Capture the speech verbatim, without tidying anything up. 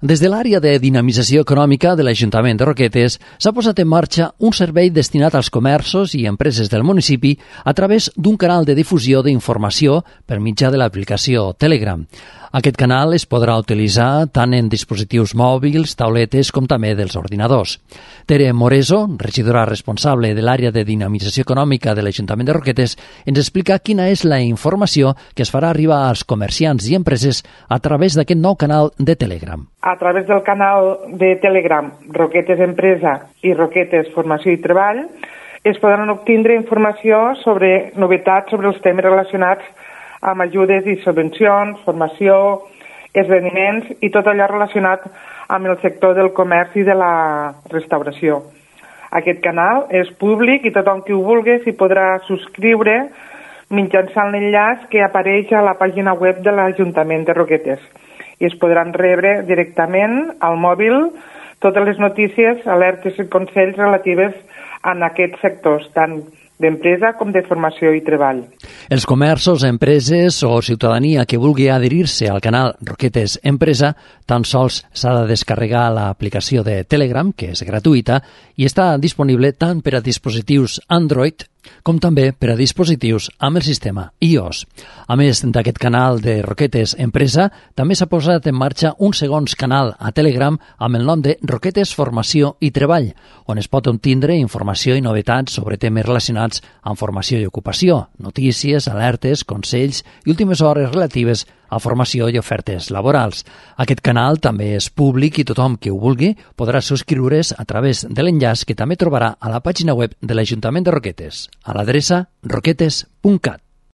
Des de l'àrea de dinamització econòmica de l'Ajuntament de Roquetes s'ha posat en marxa un servei destinat als comerços i empreses del municipi a través d'un canal de difusió d'informació per mitjà de l'aplicació Telegram. Aquest canal es podrà utilitzar tant en dispositius mòbils, tauletes, com també dels ordinadors. Tere Moreso, regidora responsable de l'àrea de dinamització econòmica de l'Ajuntament de Roquetes, ens explica quina és la informació que es farà arribar als comerciants i empreses a través d'aquest nou canal de Telegram. A través del canal de Telegram Roquetes Empresa i Roquetes Formació i Treball es podran obtindre informació sobre novetats sobre els temes relacionats amb ajudes i subvencions, formació, esdeveniments i tot allò relacionat amb el sector del comerç i de la restauració. Aquest canal és públic i tothom qui ho vulgui s'hi podrà subscriure mitjançant l'enllaç que apareix a la pàgina web de l'Ajuntament de Roquetes i es podran rebre directament al mòbil totes les notícies, alertes i consells relatives a aquests sectors, tant d'empresa com de formació i treball. Els comerços, empreses o ciutadania que vulgui adherir-se al canal Roquetes Empresa tan sols s'ha de descarregar l'aplicació de Telegram, que és gratuïta, i està disponible tant per a dispositius Android com també per a dispositius amb el sistema iOS. A més d'aquest canal de Roquetes Empresa, també s'ha posat en marxa un segon canal a Telegram amb el nom de Roquetes Formació i Treball, on es pot obtindre informació i novetats sobre temes relacionats amb formació i ocupació, notícies, alertes, consells i últimes hores relatives a formació i ofertes laborals. Aquest canal també és públic i tothom que ho vulgui podrà subscriure's a través de l'enllaç que també trobarà a la pàgina web de l'Ajuntament de Roquetes, a l'adreça roquetes punt cat.